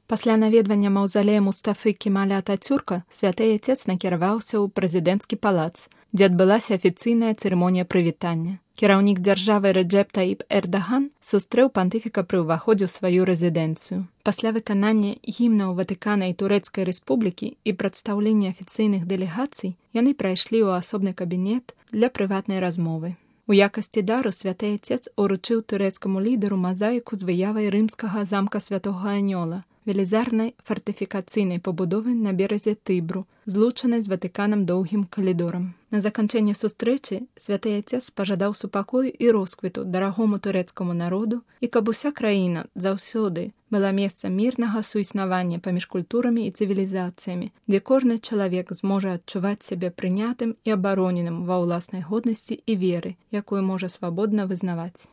Пасля наведвання маўзалея Мустафы Кемаля Атацюрка святы отец накіраваўся ў прэзідэнцкі палац, дзе адбылася афіцыйная цырымонія прывітання. Кіраўнік дзяржавы Рэджэп Таіп Эрдаган сустрэў пантыфіка пры ўваходзе ў сваю рэзідэнцыю. Пасля выканання гімнаў Ватыкана і Турэцкай рэспублікі і прадстаўлення афіцыйных дэлегацый яны прайшлі ў асобны кабінет для прыватнай размовы. У якасці дару святы отец уручыў турэцкаму лідару мазаіку з выявай рымскага замка Святога Анёла, велізарнай фартыфікацыйнай пабудовы на беразе Тыбру, злучанай з Ватыканам доўгім калідорам. На заканчэнне сустрэчы святы отец пажадаў супакою і росквіту дарагому турэцкаму народу і каб уся краіна заўсёды была месцам мірнага суіснавання паміж культурамі і цывілізацыямі, дзе кожны чалавек зможа адчуваць сябе прынятым і абароненым ва ўласнай годнасці і веры, якую можа свабодна вызнаваць.